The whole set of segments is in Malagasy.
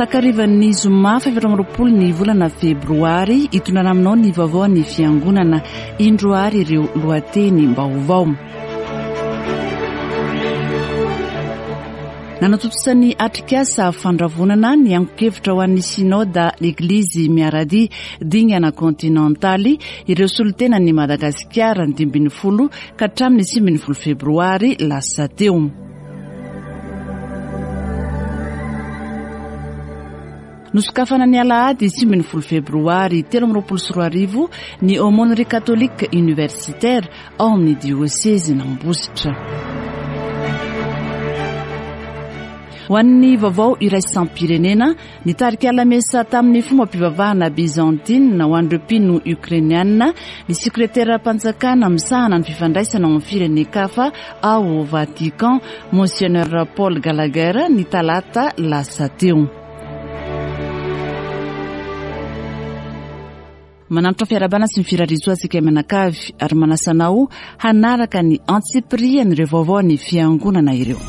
Takarivan'ny zoma faha-24 ny volana febroary, hitondrana aminao ny vaovao ny fiangonana. Indro ary ireo lohateny-baovao. Nanatontosa ny atrikasa fandravonana ny angon-kevitra ho an'ny Synoda Eglizy Miaradia dingana kontinantaly ireo solontenan'i Madagasikara ny 15 ka hatramin'ny 19 febroary lasa teo. Nosokafana ny alahady 19 febroary 2023 ny Aumônerie Catholique Universitaire ao amin'ny diosezin'Ambositra. Ho an'ny vaovao iraisam-pirenena, nitarika lamesa tamin'ny fombam-pivavahana Byzantine ho an'ireo mpino Ukrainiana ny sekreteram-panjakana misahana ny fifandraisana ao amin'ny firenen-kafa ao Vatican, Monseigneur Paul Gallagher, ny talata lasa teo. Manantitra fiarahabana sy ny firariantsoa antsika mianakavy ary manasa anao hanaraka ny antsipirian'ireo vaovao ny fiangonana ireo.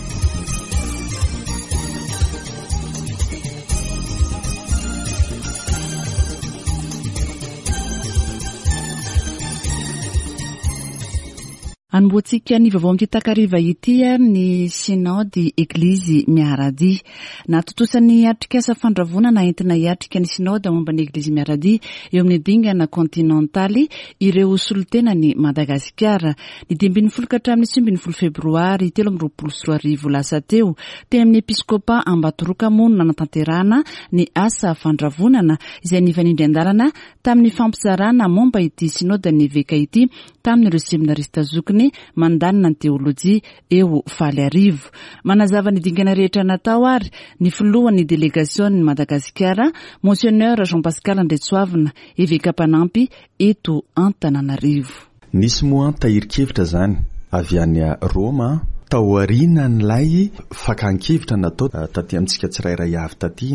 Anombohantsika ny vaovao amin'ity takariva ity ny Synaody Eglizy Miaradia. Nahatontosa ny atrikasa fandravonana entina hiatrika ny Synoda momba ny Eglizy Miaradia eo amin'ny dingana kontinantaly ireo solontenan'i Madagasikara. Ny 15 ka hatramin'ny 19 febroary 2023 lasa teo, teny amin'ny Episkopa Ambatoroka moa no nanatanterahana ny asa fandravonana izay nifanindry an-dalana tamin'ny fampizarana momba ity Synodan'ny Eveka ity tamin'ireo seminarista zokiny mandalina ny teolojia eo Faliarivo. Manazava ny dingana rehetra natao ary ny filohan'ny delegasionin'i Madagasikara, Monseigneur Jean Pascal Andriatsoavina, eveka mpanampy eto Antananarivo. Nisy moa tahirin-kevitra izany avy any Roma taorianan'ilay fakan-kevitra natao taty amintsika tsirairay avy taty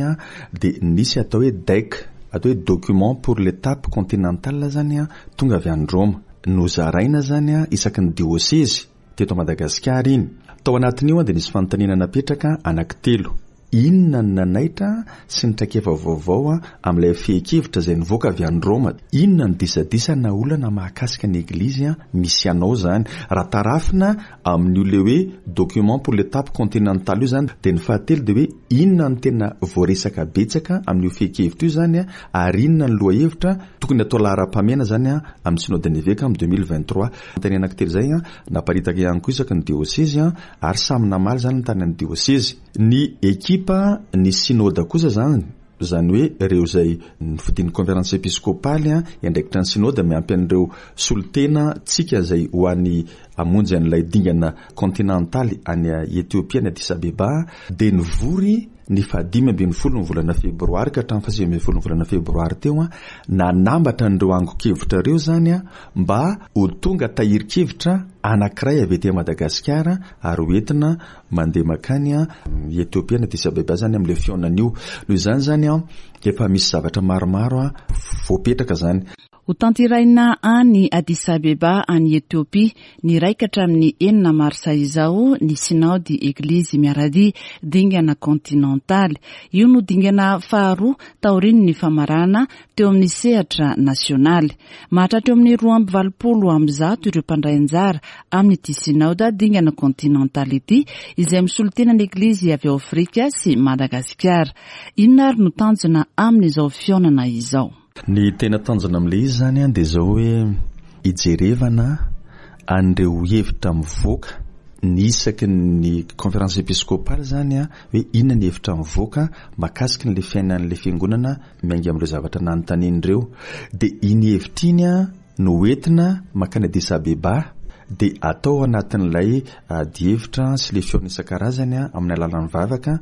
dia nisy atao hoe DEC, atao hoe document pour l'étape continentale izany Tonga avy any Roma. Nozaraina izany isaky ny diosezy teto Madagasikara iny. Tao anatin'io dia nisy fanontaniana napetraka anankitelo. Inona no nanaitra sy ny traikefa vaovao amin'ilay fehin-kevitra izay nivoaka avy any Roma? Inona no disadisa na olana mahakasika ny Eglizy misy anao izany? Raha tarafina amin'io ilay hoe document pour l'étape continentale io izany dia ny fahatelo dia hoe inona no tena voaresaka betsaka amin'io fehin-kevitra io izany ary inona ny lohahevitra Tokony atao laharam-pahamehana izany amin'ny Synode-n'ny Eveka amin'ny 2023. Fanontaniana anankitelo izay naparitaka ihany koa isaky ny diosezy ary samy namaly izany ny tany amin'ny diosezy. Ny ekipa ny Synoda kosa izany, izany hoe ireo izay nofidin'ny Conférence Episcopaly hiandraikitra ny Synoda miampy an'ireo solontena tsika izay ho any hamonjy an'ilay dingana kontinantaly any Ethiopia any Addis Abeba dia nivory ny fahadimy ambin'ny folo ny volana febroary ka hatramin'ny fahasivy ambin'ny folo ny volana febroary teo, nanambatra an'ireo angon-kevitra ireo izany mba ho tonga tahirin-kevitra anankiray avy aty Madagasikara ary ho entina mandeha mankany Ethiopia na Addis Abeba izany amin'ilay fihaonana io. Noho izany izany efa misy zavatra maromaro voapetraka izany. Hotanterahina any Addis Abeba any Etiopia ny iray ka hatramin'ny enina marsa izao ny Sinaody Eglizy Miaradia dingana kontinantaly. Io no dingana faharoa taorian'ny famaranana teo amin'ny sehatra nasionaly. Mahatratra eo amin'ny 182 ireo mpandray anjara amin'ity Sinaoda dingana kontinantaly ity izay misolo tena ny Eglizy avy ao Afrika sy Madagasikara. Inona ary no tanjona amin'izao fihaonana izao? Ny tena tanjona amin'ilay izy izany dia izao hoe hijerevana an'ireo hevitra mivoaka ny isaky ny conférence épiscopale izany hoe inona ny hevitra mivoaka mahakasika an'ilay fiainan'ilay fiangonana miainga amin'ireo zavatra nanontaniana ireo. Dia iny hevitra iny no hoentina mankany Addis Abeba dia atao anatin'ilay adihevitra sy ilay fihaonana isan-karazany amin'ny alalan'ny vavaka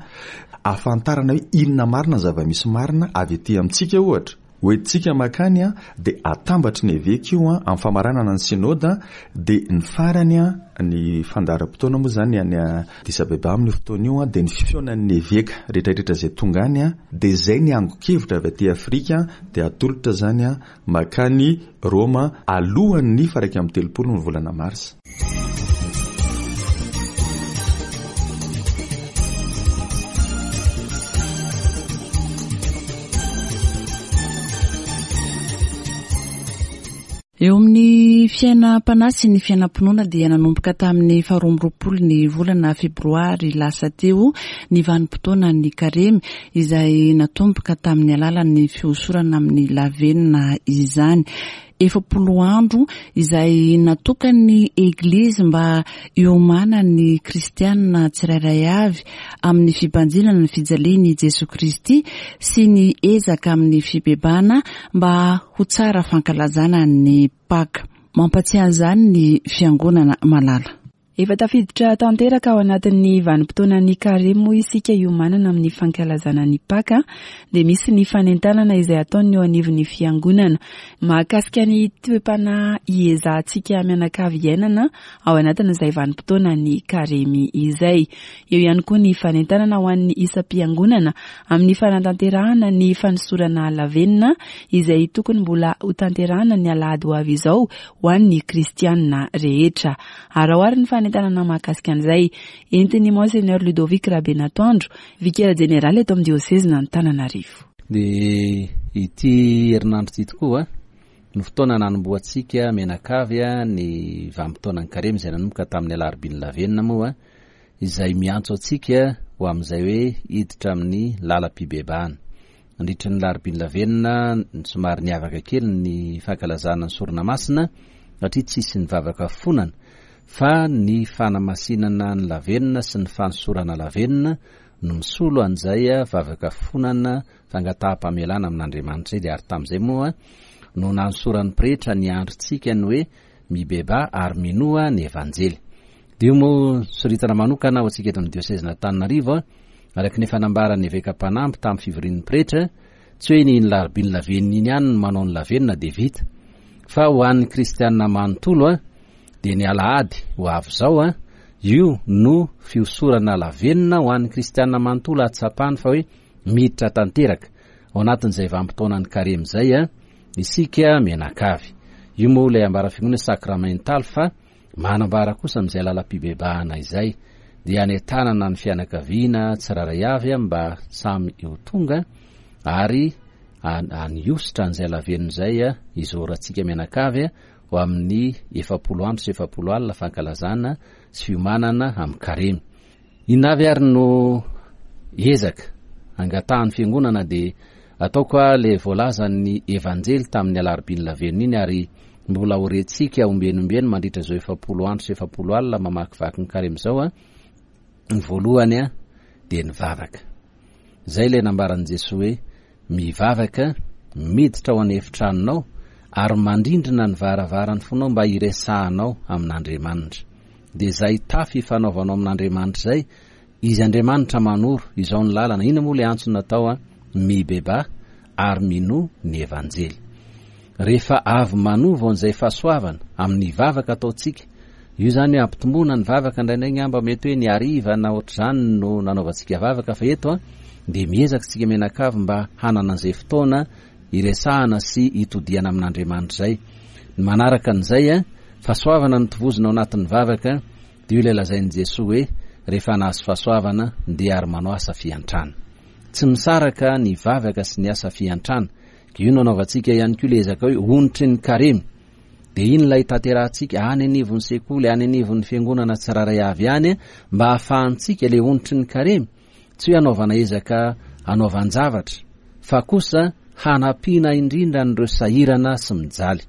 ahafantarana hoe inona marina ny zava-misy marina avy aty amintsika ohatra. Hoentintsika mankany dia atambatry ny eveka io amin'ny famaranana ny synoda dia ny farany ny fandaharam-potoana moa izany any Addis Abeba amin'io fotoana io dia ny fihaonan'ny eveka rehetrarehetra izay tonga any dia izay ny angon-kevitra avy aty Afrika dia atolotra izany Mankany Roma alohan'ny faha 31 ny volana marsa. Eo amin'ny fiainam-panahy sy ny fiainam-pinoana dia nanomboka tamin'ny faha 22 ny volana febroary lasa teo ny vanim-potoanan'ny karemy izay natomboka tamin'ny alalan'ny fihosorana amin'ny lavenona izany. 40 andro izay natokan'ny Eglizy mba hiomanan'ny kristianina tsirairay avy amin'ny fibanjinana ny fijalian'i Jesoa Kristy sy ny ezaka amin'ny fibebahana mba ho tsara fankalazana ny Paka. Mampatsiahy an'izany ny Fiangonana malala. Efa tafiditra tanteraka ao anatin'ny vanim-potoanan'ny Karemy moa isika hiomanana amin'ny fankalazana ny Paka dia misy ny fanentanana izay ataon'ny eo anivon'ny Fiangonana mahakasika ny toe-panahy hiezahantsika mianakavy iainana ao anatin'izay vanim-potoanan'ny Karemy izay. Eo ihany koa ny fanentanana ho an'ny isam-piangonana amin'ny fanatanterahana ny fanosorana lavenona izay tokony mbola hotanterahana ny alahady ho avy izao ho an'ny kristianina rehetra. Araho àry ny fanentanana mahakasika an'izay entin'ny Monseigneur Ludovic Rabenatoandro, Vikera Jeneraly eto amin'ny Diosezin'Antananarivo. Dia ity herinandro ity tokoa no fotoana nanombohantsika mianakavy ny vanim-potoanan'ny karemy izay nanomboka tamin'ny alarobian'ny lavenona moa izay miantso antsika ho amin'izay hoe hiditra amin'ny lalam-pibebahana. Nandritra ny Alarobia Lavenona, somary niavaka kely ny fankalazana ny Sorona Masina satria tsisy ny vavaka fifonana fa ny fanamasinana ny lavenona sy ny fanosorana lavenona no misolo an'izay vavaka fifonana fangataham-pamelana amin'Andriamanitra izay ary tamin'izay moa no nanosoran'ny pretra ny androntsika ny hoe mibebaha ary minoa ny Evanjely. Dia io moa soritana manokana ho antsika eto amin'ny diosezin'Antananarivo Araka ny efa nambaran'ny eveka mpanampy tamin'ny fivorian'ny pretra, tsy hoe ny iny larobia ny lavenona iny ihany no manao ny lavenona dia vita, fa ho an'ny kristiana manontolo dia ny alahady ho avy izao io no fihosorana lavenona ho an'ny kristiana manontolo hahatsapany fa hoe miditra tanteraka ao anatin'izay vanim-potoanan'ny karemy izay isika mianakavy. Io moa ilay ambaran'ny fiangonana sakramentaly fa Manambara kosa amin'izay lalam-pibebahana izay dia anentanana ny fianakaviana tsirairay avy mba samy ho tonga ary haniosotra an'izay lavenona izay hizorantsika mianakavy ho amin'ny 40 andro sy 40 alina fankalazana sy fiomanana amin'ny karemy. Inona avy ary no ezaka angatahan'ny fiangonana dia ataoko a le voalazan'ny evanjely tamin'ny alarobian'ny lavenona iny ary mbola ho rentsika ombieny ombieny mandritra izao 40 andro sy 40 alina mamakivaky ny karemy izao a ny voalohany a dia ny vavaka izay ilay nambaran'i Jesoa hoe mivavaka miditra ao an'efitranonao ary mandrindrina ny varavaran'ny fonao mba hiresahanao amin'Andriamanitra. Dia izay tafy ifanaovanao amin'Andriamanitra izay, Izy Andriamanitra manoro izao ny lalana, inona moa ilay antso natao an? Mibebaha ary minoa ny Evanjely. Rehefa avy manovo an'izay fahasoavana amin'ny vavaka ataontsika, io izany hoe ampitomboana ny vavaka indraindray angamba mety hoe ny hariva na ohatr'izany no nanaovantsika vavaka fa eto an dia miezaka isika mianakavy mba hanana an'izay fotoana hiresahana sy hitodihana amin'Andriamanitra izay. Ny manaraka an'izay an, fahasoavana no tovozina ao anatin'ny vavaka dia io ilay lazain'i Jesoa hoe rehefa nahazo fahasoavana dia ary manao asa fiantrana. Tsy misaraka ny vavaka sy ny asa fiantrana. Io no anaovantsika ihany koa ilay ezaka hoe onitry ny karemy. Dia iny ilay tanterahantsika any anivon'ny sekoly, any anivon'ny fiangonana tsirairay avy any mba hahafahantsika ilay onitry ny karemy, tsy hoe hanaovana ezaka hanaovan-javatra fa kosa hanampiana indrindra an'ireo sahirana sy mijaly.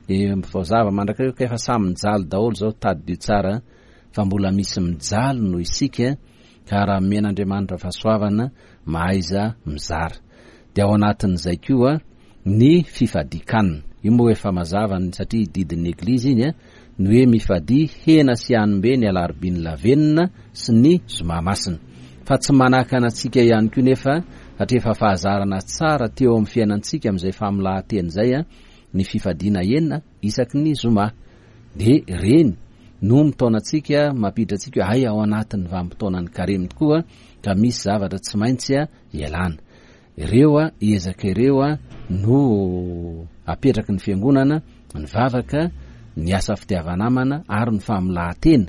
Dia voazava mandrakariva ka efa samy mijaly daholo izao, tadidio tsara fa mbola misy mijaly noho isika ka raha omen'Andriamanitra fahasoavana mahaiza mizara. Dia ao anatin'izay koa ny fifadian-kanina. Io moa efa mazava ny satria didin'ny Eglizy iny ny hoe mifadia hena sy hanim-be ny alarobian'ny lavenona sy ny zoma masina. Fa tsy manakana antsika ihany koa nefa satria efa fahazarana tsara teo amin'ny fiainantsika amin'izay famolahan-teny izay ny fifadiana hena isaky ny zoma. Dia ireny no mitaona antsika, mampiditra antsika hoe hay ao anatin'ny vanim-potoanan'ny karemy tokoa ka misy zavatra tsy maintsy ialana. Ireo ezaka ireo no apetraky ny fiangonana, ny vavaka, ny asa fitiava-namana ary ny famolahan-tena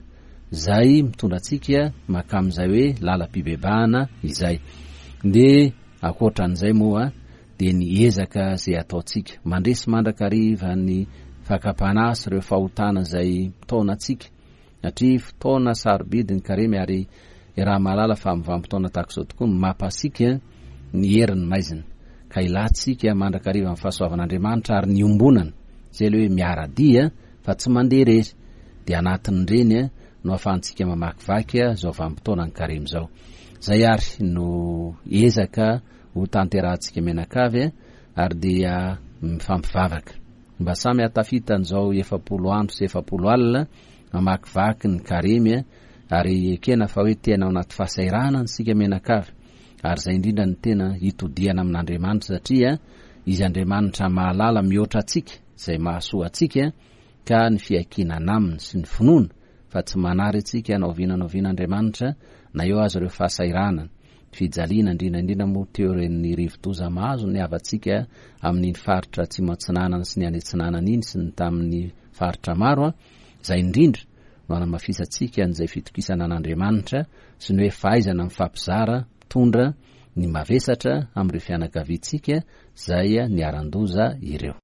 izay mitondra antsika mankamin'izay hoe lalam-pibebahana izay. Dia ankoatra an'izay moa dia ny ezaka izay ataontsika. Mandresy mandrakariva ny fakam-panahy sy ireo fahotana izay mitaona antsika satria fotoana sarobidy ny karemy ary iaraha-mahalala fa amin'ny vanim-potoana tahaka izao tokoa no mampasiaka ny herin'ny maizina ka ilantsika mandrakariva ny fahasoavan'Andriamanitra ary ny iombonana izay ilay hoe miara-dia fa tsy mandeha irery dia anatin'ireny no ahafahantsika mamakivaky izao vanim-potoanan'ny karemy izao. Izay ary no ezaka ho tanterahantsika mianakavy ary dia mifampivavaka mba samy hahatafita an'izao 40 andro sy 40 alina mamakivaky ny karemy ary ekena fa hoe tena ao anaty fahasahiranana isika mianakavy ary izay indrindra no tena hitodihana amin'Andriamanitra satria Izy Andriamanitra mahalala mihoatra antsika izay mahasoa antsika ka ny fiankinana aminy sy ny finoana fa tsy manary antsika na oviana na oviana Andriamanitra na eo aza ireo fahasahiranana, fijaliana indrindra indrindra moa teo ireny rivodoza mahazo ny havantsika amin'iny faritra atsimo atsinanana sy ny any atsinanana iny sy ny tamin'ny faritra maro izay indrindra no hanamafisantsika an'izay fitokisana an'Andriamanitra sy ny hoe fahaizana mifampizara mitondra ny mavesatra amin'ireo fianakaviantsika izay niharan-doza ireo.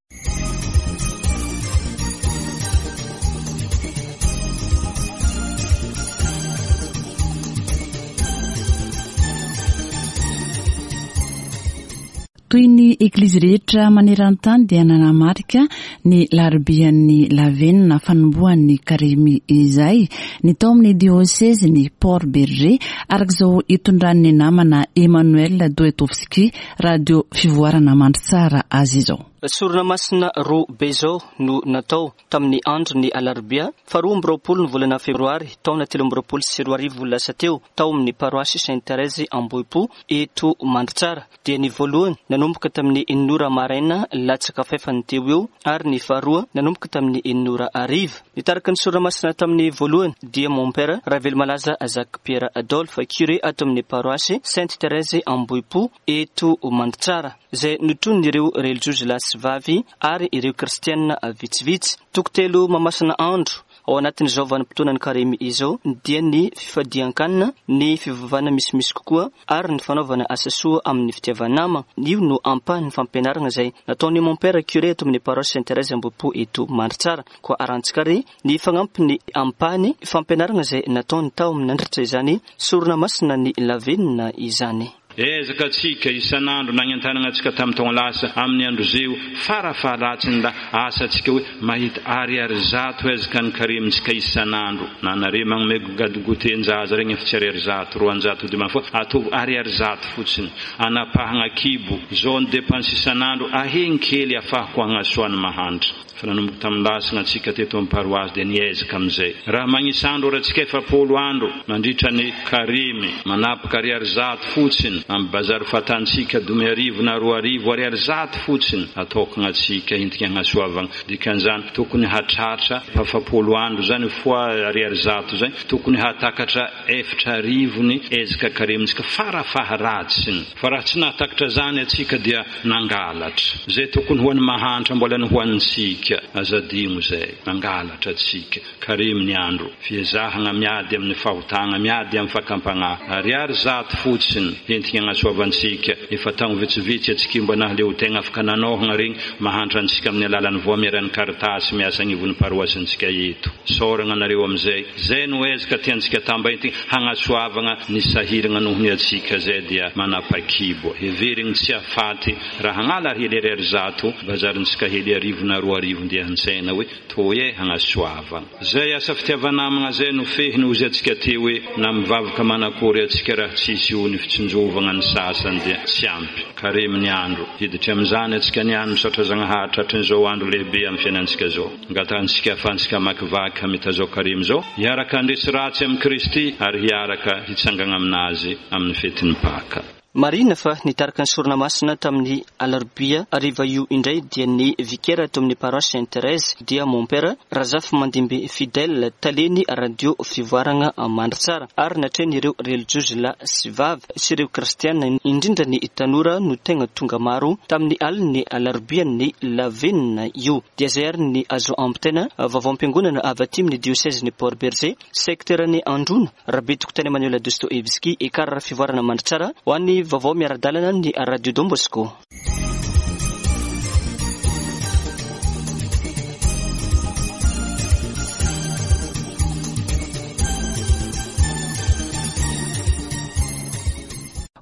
Toy ny eglizy rehetra maneran-tany dia nanamarika ny larobian'ny lavenona fanombohan'ny karemy izay ny tao amin'ny diosezin'i Port Bergé araka izao itondran'ny namana Emmanuel Doetowski Radio Fivoarana Mandritsara azy izao. Sorona masina roa be izao no natao tamin'ny andron'ny alarobia faharoa 22 ny volana febroary taona 2023 lasa teo tao amin'ny paroasy Sainte Thérèse Ambohipo eto Mandritsara. Dia ny voalohany nanomboka tamin'ny enina ora maraina latsaka fahefany teo eo ary ny faharoa nanomboka tamin'ny enina ora hariva. Nitarika ny sorona masina tamin'ny voalohany dia Mompera Ravelomalaza Jacques Pierre Adolphe, curé ato amin'ny paroasy Sainte Thérèse Ambohipo eto Mandritsara, izay notronin'ireo relijiozy lahy sy vavy ary ireo kristiana vitsivitsy. Toko telo mamasina andro ao anatin'izao vanim-potoanan'ny karemy izao dia ny fifadian-kanina, ny fivavahana misimisy kokoa ary ny fanaovana asa soa amin'ny fitiava-nama. Io no ampahan'ny fampianarana izay nataon'i Mompera curé ato amin'ny paroasy Sainte Thérèse Ambohipo eto Mandritsara. Koa arahantsika ary ny fagnampiny ampahany fampianarana izay nataony tao amin'ny nandritra izany sorona masina ny lavenona izany. Ezaka antsika isan'andro nagnentanagna antsika tamin'ny taogno lasa amin'ny andro zeo fara faharatsiny la asa antsika hoe mahita ariary zato ezaka ny karemintsika isan'andro na nare magnome goûter-njaza regny efa tsy ariary zato 200 dimany fa ataovy ariary zato fotsiny anapahagna kibo zao ny dépense isan'andro ahegny kely afahako hagnasoa ny mahantra. Fa nanomboka tamin'ny lasina antsika teto amin'ny paroasy dia niezaka amin'izay. Raha magnisa andro ary antsika 40 andro mandritra ny karemy, manapaka ariary zato fotsiny amin'ny bazary fatantsika 25 na 2000 ariary zato fotsiny atokagna antsika entika hagnasoavagna. Dikan'izany tokony hatratra 40 andro zany fois ariary zato zay tokony hatakatra 4000 ny ezaka karemintsika farafaharatsiny. Fa raha tsy nahatakatra zany antsika dia nangalatra. Izay tokony ho an'ny mahantra mbola ny ho antsika. Aza adino izay. Nangalatra antsika. Karemy ny andro. Fiezahana miady amin'ny fahotana, miady amin'ny fakam-panahy. Ariary zato fotsiny entina hagnasoavantsika. Efa taogno vitsivitsy antsika mba nahaleo tegna afaka nanaohagna regny mahantra antsika amin'ny alalan'ny voamieran'ny Caritas miasa agnivon'ny paroasintsika eto. Isaoragna anareo amin'izay. Zay no ezaka tiantsika tamba entina hagnasoavagna ny sahiragna noho ny antsika zay dia manapakibo. Heverigny tsy hafaty raha hagnala hely ariary zato bazarintsika hely arivo na 2000 ndeha an-tsena hoe toy e hagnasoavagna. Zay asa fitiava-namagna zay no fehiny hozy antsika teo hoe na mivavaka manakory antsika raha tsisy io ny fitsinjovagna ny sasany dia tsy ampy. Karemy ny andro. Hiditry amin'izany antsika niany misaotra Zagnahary tratrin'izao andro lehibe amin'ny fiainantsika zao. Angatahantsika ahafahantsika hamakivaky hamita izao karemy izao, hiaraka handresy ratsy amin'i Kristy ary hiaraka hitsangana aminazy amin'ny fetin'ny Paka. Marihina fa nitarika ny sorona masina tamin'ny alarobia hariva io indray dia ny vikera tao amin'ny paroasy Sainte Thérèse dia Mompera Razafimandimby Fidèle, talen'ny radio Fivoaragna Mandritsara ary natrehin'ireo relijiozy lahy sy vavy sy ireo kristiana indrindra ny tanora no tegna tonga maro tamin'ny alin'ny alarobian'ny lavenona io. Dia izay ary ny azo ampitaina vaovaom-piangonana avy aty amin'ny diosezin'i Port Bergé, sekteran'i Androna, Rabetokotany Emmanuel Dostoevsky, Ekar Fivoarana Mandritsara, ho an'ny vaovao miara-dalana ny Radio Don Bosco.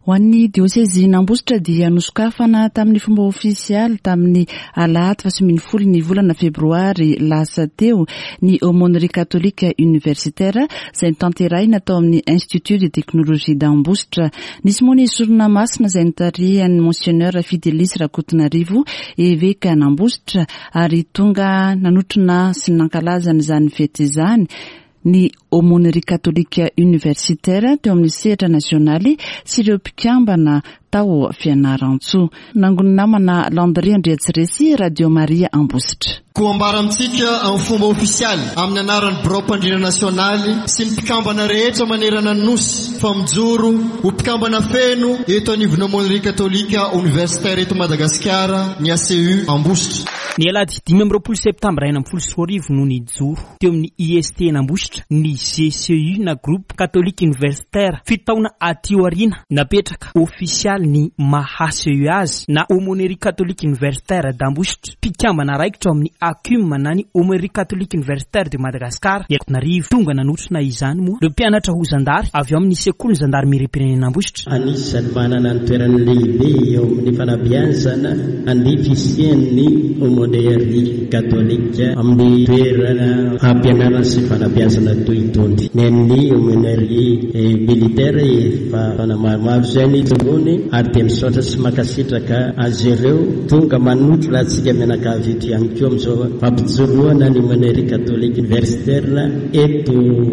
Ho an'ny diosezin'Ambositra dia nosokafana tamin'ny fomba ofisialy tamin'ny alahady faha 18 ny volana febroary lasa teo ny Aumônerie Catholique Universitaire izay notanterahina tao amin'ny Institut de Technologie d'Ambositra. Nisy moa ny sorona masina izay notarihan'ny Monseigneur Fidelis Rakotonarivo, evekan'Ambositra ary tonga nanotrona sy nankalaza an'izany fety izany ny Aumônerie Catholique Universitaire teo amin'ny sehatra nasionaly sy ireo mpikambana tao Fianarantsoa. Nangon'ny namana Landry Andriatsiresy, Radio Maria Ambositra. Koa ambara amintsika amin'ny fomba ofisialy amin'ny anaran'ny Biraom-pandrindra Nasionaly sy ny mpikambana rehetra manerana ny Nosy fa mijoro ho mpikambana feno eto anivon'ny Aumônerie Katolika Oniversitaire eto Madagasikara ny ACU Ambositra. Ny alahady 25 septambra 2016 no nijoro teo amin'ny IST Ambositra ny GCU na Groupe Catholique Universitaire. Fito taona aty aoriana, napetraka ofisialy ny maha ACU azy na Aumônerie Catholique Universitaire d'Ambositra. Mpikambana raikitra ao amin'ny ACUM na ny Aumônerie Catholique Universitaire de Madagascar Antananarivo. Tonga nanotrona izany moa ireo mpianatra ho zandary avy ao amin'ny sekolin'ny zandarimeriam-pirenena Ambositra. Anisan'ny manana ny toerany lehibe eo amin'ny fanabeazana ny fisian'ny Aumônerie Katolika amin'ny toerana fampianarana sy fanabeazana toy itony. Ny an'ny Aumônerie Militaire efa taona maromaro izay ny ijoroany ary dia misaotra sy mankasitraka azy ireo tonga manotrona antsika mianakavy eto ihany koa amin'izao fampijoroana ny Aumônerie Catholique Universitaire eto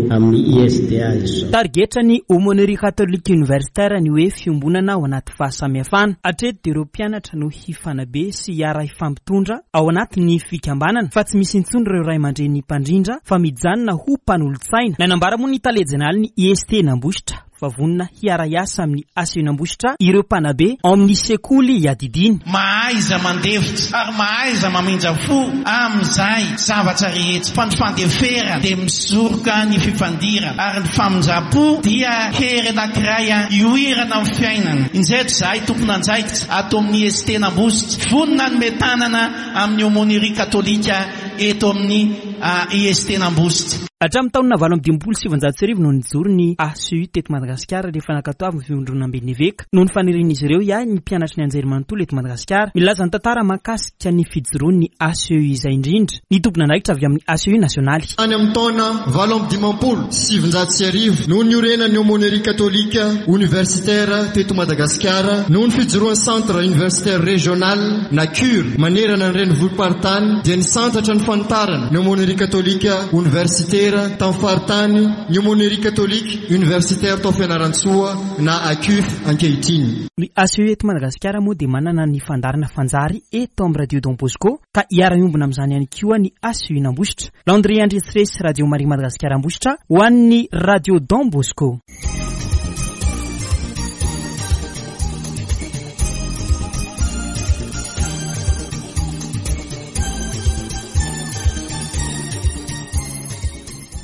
amin'ny ISTA izao. Tarigetra ny Aumônerie Catholique Universitaire ny hoe fiombonana ao anaty fahasamihafana. Hatreto dia ireo mpianatra no hifanabe sy hiara-hifampitondra ao anatin'ny fikambanana fa tsy misy intsony ireo ray aman-dreny mpandrindra fa mijanona ho mpanolotsaina. Nanambara moa ny tale jeneralin'ny IST Nambositra fa vonona hiara-hiasa amin'ny ACU-Nambositra ireo mpanabe ao amin'ny sekoly iadidiany. Mahaiza mandefitra ary mahaiza mamindra fo amin'izay zavatra rehetra, fa ny fandeferana dia misoroka ny fifandirana, ary ny famindram-po dia hery anankiray ioirana amin'ny fiainana. Injay izahay tompon'andraikitra ato amin'ny IST Nambositra, vonona hanome tanana amin'ny Aumônerie Katolika eto amin'ny IST Nambositra. Hatramin'ny taona 1958 no nijoro ny ACU teto Madagasikara rehefa nankatoavin'ny Fivondronamben'ny Eveka noho ny fanirian'izy ireo hiahy ny mpianatry ny anjerimanontolo eto Madagasikara. Milaza ny tantara mahakasika ny fijoroan'ny ACU izay indrindra ny tompon'andraikitra avy amin'ny ACU nasionaly. Tany amin'ny taona 1958 no niorenan'ny Aumônerie Katolika Oniversitera teto Madagasikara noho ny fijoroan'ny Centre Universitaire Régional na cur manerana ny renivohi-paritany dia nisantatra ny fanitarana ny Aumônerie Katolika Oniversitera tamin'ny faritany ny Aumônerie Catholique Universitaire tao Fianarantsoa na ACUF ankehitriny. Ny ACU eto Madagasikara moa dia manana ny fandaharana Fanjary eto amin'ny Radio Don Bosco ka hiara-hiombona amin'izany ihany koa ny ACU Nambositra. Landry Andriatsiresy, Radio Maria Madagasikara Ambositra ho an'ny Radio Don Bosco.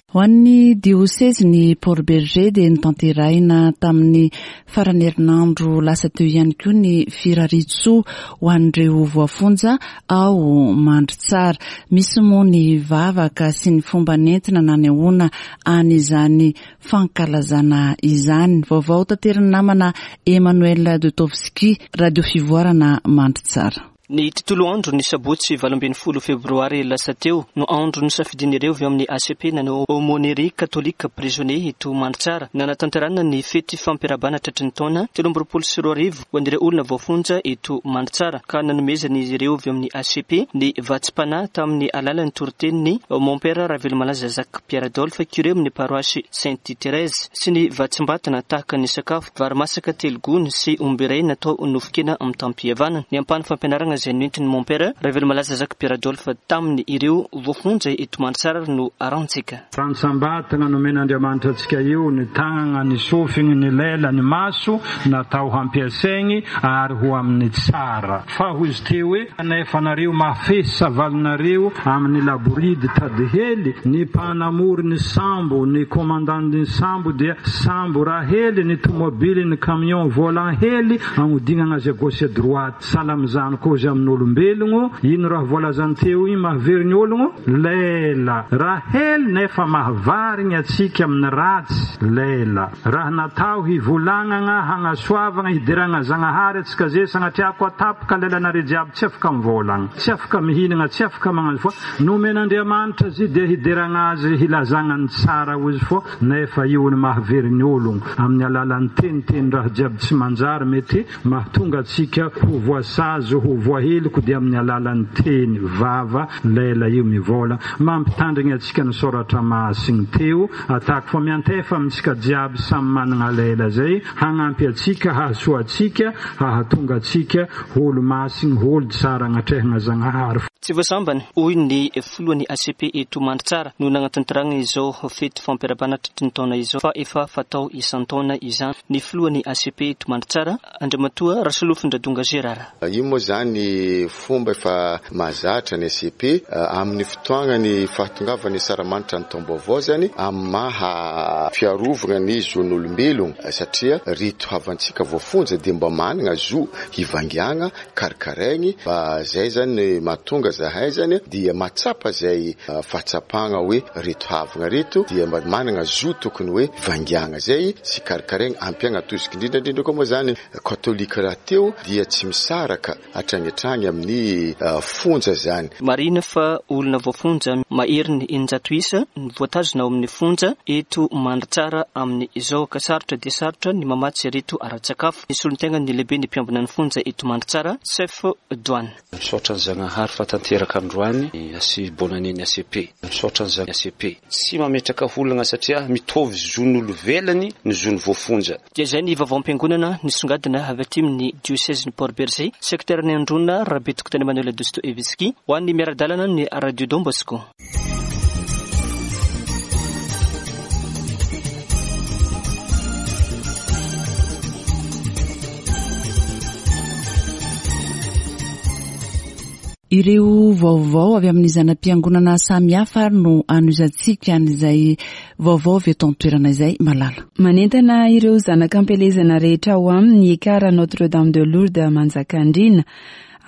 Ho an'ny diosezin'i Port Bergé dia notanterahina tamin'ny faran'ny herinandro lasa teo ihany koa ny firariantsoa ho an'ireo voafonja ao Mandritsara. Misy moa ny vavaka sy ny fomba nentina nanehoana an'izany fankalazana izany. Vaovao taterin'ny namana Emmanuel Dotowski, Radio Fivoarana Mandritsara. Ny tontolo andro ny sabotsy 18 febroary lasa teo no andro nosafidian'ireo avy ao amin'ny ACP nanao Aumônerie Catholique Prisonnier eto Mandritsara nanatanterahana ny fety fampiarahabana tratry ny taona 2023 ho an'ireo olona voafonja eto Mandritsara ka nanomezan'izy ireo avy amin'ny ACP ny vatsim-panahy tamin'ny alalan'ny toritenin'ny Mompera Ravelomalaza Jacques Pierre Adolphe curé amin'ny paroasy Sainte Thérèse sy ny vatsim-batana tahaka ny sakafo vary masaka telo gony sy omby iray natao nofon-kena mitam-pihavanana. Ny ampahan'ny fampianarana izay noentin'ny Mompera Ravelomalaza Jacques Pierre Adolphe taminy ireo voafonja eto Mandritsara no arahantsika. Rantsambatana nomen'Andriamanitra antsika io, ny tagnagna, ny sofigny, ny lela, ny maso, natao hampiasaigny ary ho amin'ny tsara. Fa hozy teo hoe, Nefa nareo mafehy savalinareo amin'ny laboridy tady hely, ny mpanamory ny sambo, ny commandant ny sambo dia sambo raha hely, ny tomobily, ny camion volant hely, agnodignagna azy à gauche à droite. Sahala amin'izany koa hozy. amin'olombelogno. Ino raha voalazany teo igny mahavery ny ologno? Lela. Raha hely nefa mahavarigny atsika amin'ny ratsy, lela. Raha natao hivolagnagna, hagnasoavagna, hideragna Zagnahary atsika ze sagnatria koa tapaka lelanare jiaby tsy afaka mivolagna, tsy afaka mihinagna, tsy afaka magnano fô nomen'Andriamanitra zy dia hideragna Azy hilazagna ny tsara ozy fô nefa io ny mahavery ny ologno amin'ny alalan'ny teniteny raha jiaby tsy manjary mety Mahatonga antsika ho voasazy ho voaheloka dia amin'ny alalan'ny teny, vava, lela io mivola. Mampitandrigny antsika ny Soratra Masigny teo, atako fa miantefa amintsika jiaby samy managna lela zay, hagnampy antsika, hahasoa antsika, hahatonga antsika ho olo-masigny, ho olo tsara agnatrehagna Zagnahary. Tsy vao sambany, hoy ny filohan'ny ACP eto Mandritsara, no nagnatanterahana izao fety fampiarabana tratry ny taona izao fa efa fatao isan-taona izany. Ny filohan'ny ACP eto Mandritsara, Andriamatoa Rasolofondradonga Gérard. Io moa izany fomba efa mahazatra ny ACP amin'ny fotoagnan'ny fahatongavan'ny asaramanitra ny taom-baovao izany amin'ny maha fiarovagna ny zon'olombelogno satria reto havantsika voafonja dia mba managna zo hivangiagna karakaraigny fa zay zany mahatonga zahay zany dia mahatsapa zay fahatsapagna hoe reto havagna reto dia mba managna zo tokony hoe vangiagna zay sy karakaraigny ampiagna tosika indrindra indrindra koa moa zany katolika rahateo dia tsy misaraka hatragny hatragny amin'ny fonja zany. Marihina fa olona voafonja maherin'ny 600 isa no voatazona ao amin'ny fonja eto Mandritsara amin'izao ka sarotra dia sarotra ny mamatsy ireto ara-tsakafo. Ny solontenan'ny lehiben'ny mpiambina ny fonja eto Mandritsara, Chef Douane. Misaotra an'i Zagnahary fa tanteraka androany ny AC bonne année ny ACP. Misaotra an'i Zagn ACP. Tsy mametraka olagna satria mitovy zon'olovelany ny zon'ny voafonja. Dia izay ny vaovaom-piangonana nisongadina avy aty amin'ny diosezin'i Port Bergé, sekteran'i Androna, Rabetokotany Emmanuel Dostoevsky, ho an'ny miara-dalana ny Radio Don Bosco. Ireo vaovao avy amin'ny zana-piangonana samihafa ary no anohizantsika an'izay vaovao avy eto an-toerana izay, Malala. Manentana ireo zanak'ampielezana rehetra ao aminy Ekar Notre Dame de Lourdes Manjakandriana.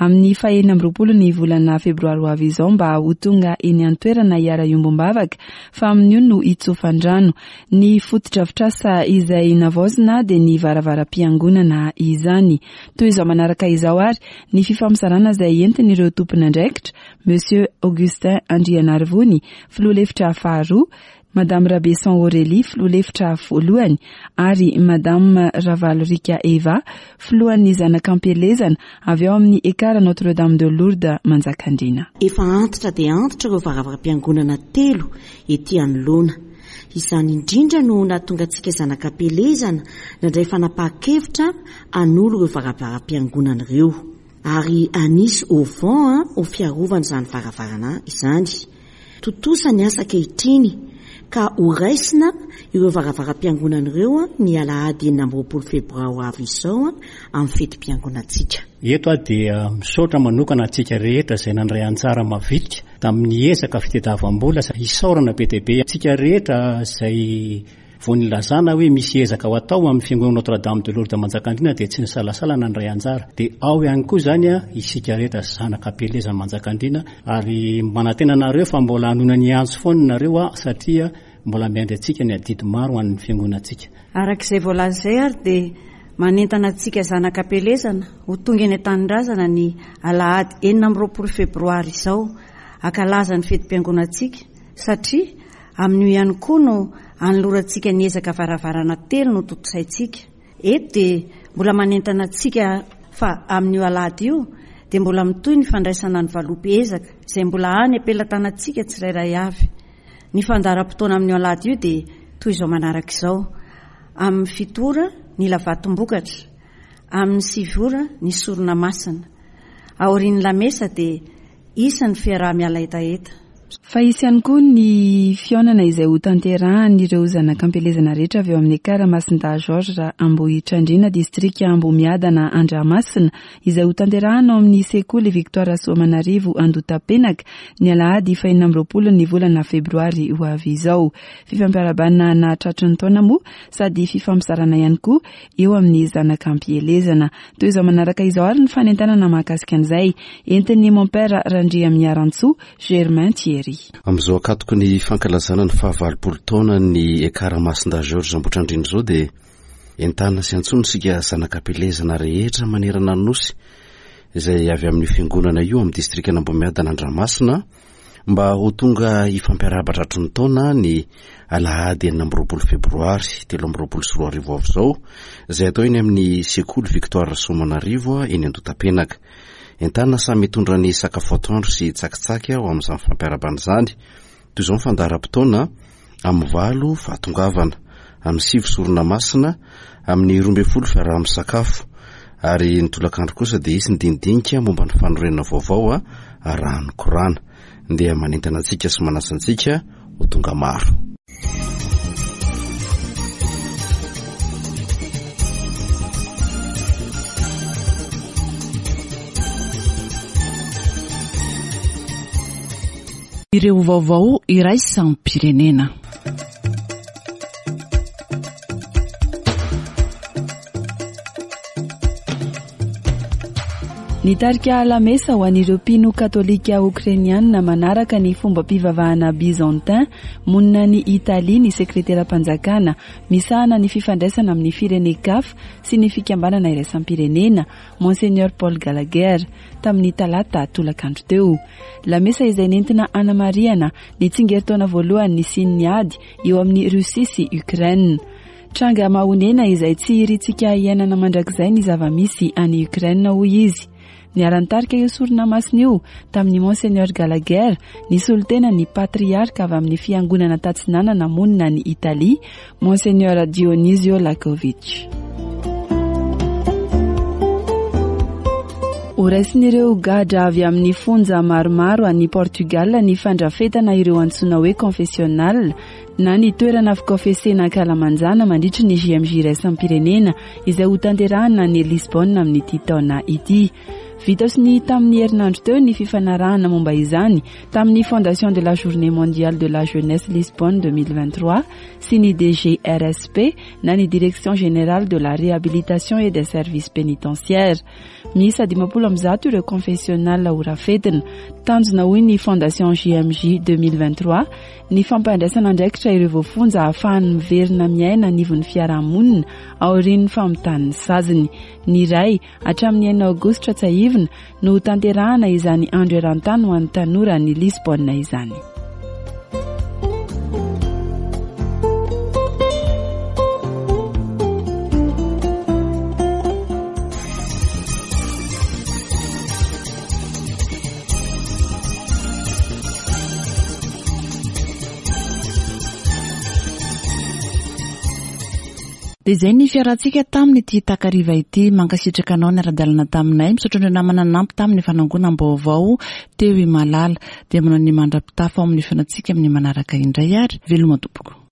Amin'ny faha 26 ny volana febroary ho avy izao mba ho tonga eny an-toerana hiara-hiombom-bavaka fa amin'io no hitsofan-drano. Ny fotodrafitrasa izay navaozina dia ny varavaram-piangonana izany. Toy izao manaraka izao ary ny fifampizarana izay entin'ireo tompon'andraikitra, Monsieur Augustin Andrianarivony, filoha lefitra faharoa, Madame Rabeson Aurélie, filoha lefitra voalohany, ary Madame Ravalorika Eva, filohan'ny zanak'ampielezana avy ao amin'ny Ekar Notre Dame de Lourdes Manjakandriana. Efa antitra dia antitra ireo varavaram-piangonana telo ety anoloana. Izany indrindra no nahatonga antsika zanak'ampielezana nandray fanapahan-kevitra hanolo ireo varavaram-piangonana ireo. Ary hanisy auvent ho fiarovana izany varavarana izany. Tontosa ny asa ankehitriny ka ho raisina ireo varavaram-piangonana ireo ny alahady 26 febroary ho avy izao amin'ny fetim-piangonantsika. Eto aho dia misaotra manokana antsika rehetra izay nandray anjara mavitrika tamin'ny ezaka fitediavam-bola. Isaorana be dia be antsika rehetra izay Vao nilazana hoe misy ezaka ho atao amin'ny fiangonana Notre Dame de Lourdes Manjakandriana dia tsy nisalasala nandray anjara. Dia ao ihany koa izany isika rehetra zanaka am-pielezan'i Manjakandriana ary manantena anareo fa mbola hanoina ny antso foana nareo satria mbola miandry antsika ny adidy maro ho an'ny fiangonantsika. Araka izay voalaza izay ary dia manentana antsika zanaka am-pielezana ho tonga eny an-tanindrazana ny alahady 26 febroary izao hankalaza ny fetim-piangonantsika satria Amin'io ihany koa no anolorantsika ny ezaka varavarana telo notontosaintsika. Eto dia mbola manentana antsika fa amin'io alahady io dia mbola mitohy ny fandraisana ny valopy ezaka izay mbola any am-pelatanantsika tsirairay avy. Ny fandaharam-potoana amin'io alahady io dia toy izao manaraka izao, Amin'ny fito ora ny lavatom-bokatra, amin'ny sivy ora ny sorona masina. Aorian'ny lamesa dia hisy ny fiaraha-miala hetaheta. Fa hisy ihany koa ny fihaonana izay hotanterahan'ireo zanak'ampielezana rehetra avy ao amin'ny Ekar Masindahy Georges Ambohitrandriana, distrika Ambohimiadana Andramasina, izay hotanterahana ao amin'ny sekoly Victoire Rasoamanarivo Andotapenaka, ny alahady fahenina amby roapolo ny volana febroary ho avy izao. Fifampiarahabana nahatratry ny taona moa sady fifampizarana ihany koa eo amin'ny zanak'ampielezana. Toy izao manaraka izao ary ny fanentanana mahakasika an'izay entin'ny Mompera Randriamiarantsoa Germain Thierry. Amin'izao ankatoky ny fankalazana ny fahavalopolo taonan'ny Ekar Masindahy Georges Ambohitrandriana izao dia entanina sy antsoina isika zanak'ampielezana rehetra manerana ny Nosy izay avy amin'io fiangonana io amin'ny distrikan'Ambohimiadana Andramasina mba ho tonga hifampiarahaba tratry ny taona ny alahady 26 febroary 2023 avy izao izay atao eny amin'ny sekoly Victoire Rasoamanarivo eny Andotapenaka. Entanina samy hitondra ny sakafo atoandro sy tsakitsaky ho amin'izany fampiarahabana izany. Toy izao ny fandaharam-potoana, amin'ny valo fahatongavana, amin'ny sivy sorona masina, amin'ny 12 fiaraha-misakafo, ary ny tolakandro kosa dia hisy ny dinidinika momba ny fanorenana vaovao arahan'ny korana. Ndeha manentana antsika sy manasa antsika ho tonga maro. Ireo vaovao iraisam-pirenena. Nitarika lamesa ho an'ireo mpino katolika okrainianina manaraka ny fombam-pivavahana byzantin monina any Italia ny sekreteram-panjakana misahana ny fifandraisana amin'ny firenen-kafa sy ny fikambanana iraisam-pirenena, Monseigneur Paul Gallagher, tamin'ny talata tolakandro teo. Lamesa izay nentina hanamarihana ny tsingerin-taona voalohany nisian'ny ady eo amin'i Russie sy Ukraine. Tranga mahonena izay tsy irintsika hiainana mandrakizay ny zava-misy any Ukraine, hoy izy. Niara-nitarika io sorona masina io tamin'i Monseigneur Gallagher ny solontenan'ny patriarka avy amin'ny fiangonana tatsinanana monina any Italia, Monseigneur Dionisio Lakovic. Horaisin'ireo gadra avy amin'ny fonja maromaro any Portugal ny fandrafetana ireo antsoina hoe confessionnal na ny toerana fikaofesena ankalamanjana mandritry ny JMJ iraisam-pirenena izay hotanterahina any Lisbonne amin'ity taona ity. Vita sonia tamin'ny herinandro teo ny fifanarahana momba izany tamin'ny Fondation de la Journée Mondiale de la Jeunesse Lisbonne 2023 sy ny DGRSP na ny Direction Générale de la Réhabilitation et des Services Pénitentiaires. Miisa 150 ireo confessionnal horafetina. Tanjona hoy ny Fondation JMJ 2023 ny fampandraisana andraikitra ireo voafonja ahafahany miverina miaina anivon'ny fiarahamonina aorian'ny famitàn'ny saziny. Ny iray hatramin'ny enina aogositra tsiahivina no hotanterahana izany andro eran-tany ho an'ny tanora any Lisbonne izany. Dia izay ny fiarahantsika tamin'ity takariva ity. Mankasitraka anao niara-dalana taminay. Misaotra an'ireo namana nanampy tamin'ny fanangonam-baovao teo i Malala. Dia manao ny mandra-pitafa ao amin'ny fihaonantsika amin'ny manaraka indray ary. Veloma tompoko.